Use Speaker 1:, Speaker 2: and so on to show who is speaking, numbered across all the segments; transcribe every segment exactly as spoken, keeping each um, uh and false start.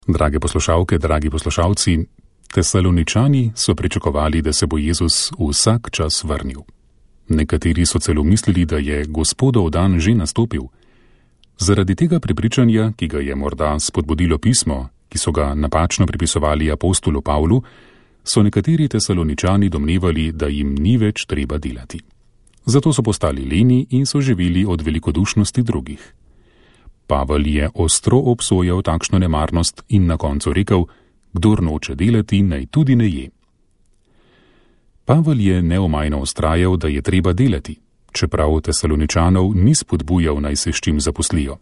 Speaker 1: Drage poslušalke, dragi poslušalci, Tesaloničani so pričakovali, da se bo Jezus vsak čas vrnil. Nekateri so celo mislili, da je Gospodov dan že nastopil. Zaradi tega prepričanja, ki ga je morda spodbudilo pismo, ki so ga napačno pripisovali apostolu Pavlu, so nekateri Tesaloničani domnevali, da jim ni več treba delati. Zato so postali leni in so živeli od velikodušnosti drugih. Pavel je ostro obsojal takšno nemarnost in na koncu rekel, kdor noče delati, naj tudi ne je. Pavel je neomajno vztrajal, da je treba delati, čeprav Tesaloničanov ni spodbujal, naj se s čim zaposlijo.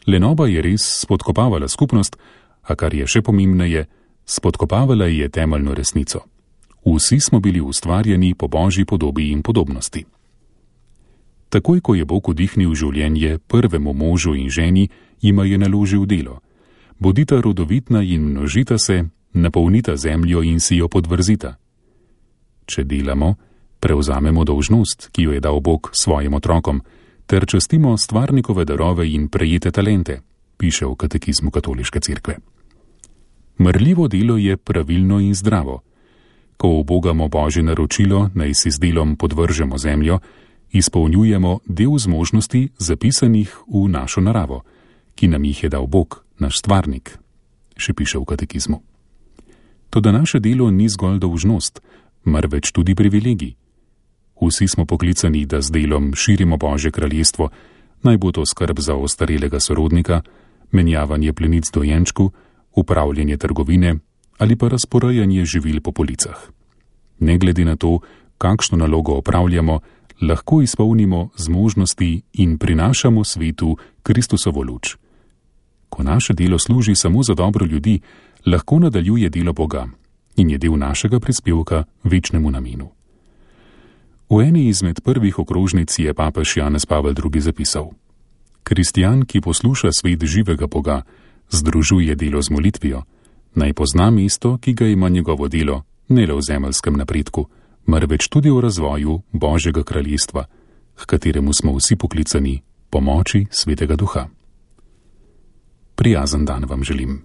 Speaker 1: Lenoba je res spodkopavala skupnost, a kar je še pomembneje, spodkopavala je temeljno resnico. Vsi smo bili ustvarjeni po Božji podobi in podobnosti. Takoj, ko je Bog vdihnil življenje prvemu možu in ženi, jima je naložil delo. Bodita rodovitna in množita se, napolnita zemljo in si jo podvrzita. Če delamo, prevzamemo dolžnost, ki jo je dal Bog svojim otrokom, ter častimo stvarnikove darove in prejete talente, piše v katekizmu Katoliške cerkve. Marljivo delo je pravilno in zdravo. Ko ubogamo Božje naročilo, naj si z delom podvržemo zemljo, izpolnjujemo del zmožnosti zapisanih v našo naravo, ki nam jih je dal Bog, naš stvarnik, še piše v katekizmu. Toda naše delo ni zgolj dolžnost, marveč tudi privilegij. Vsi smo poklicani, da z delom širimo Božje kraljestvo, naj bo to skrb za ostarelega sorodnika, menjavanje plenic dojenčku, upravljanje trgovine ali pa razporejanje živil po policah. Ne glede na to, kakšno nalogo opravljamo, lahko izpolnimo zmožnosti in prinašamo svetu Kristusovo luč. Ko naše delo služi samo za dobro ljudi, lahko nadaljuje delo Boga in je del našega prispevka večnemu namenu. V eni izmed prvih okrožnic je papež Janez Pavel drugi. zapisal: Kristjan, ki posluša svet živega Boga, združuje delo z molitvijo, naj pozna mesto, ki ga ima njegovo delo, ne le v zemeljskem napredku, marveč tudi v razvoju Božjega kraljestva, h kateremu smo vsi poklicani po moči Svetega Duha. Prijazen dan vam želim.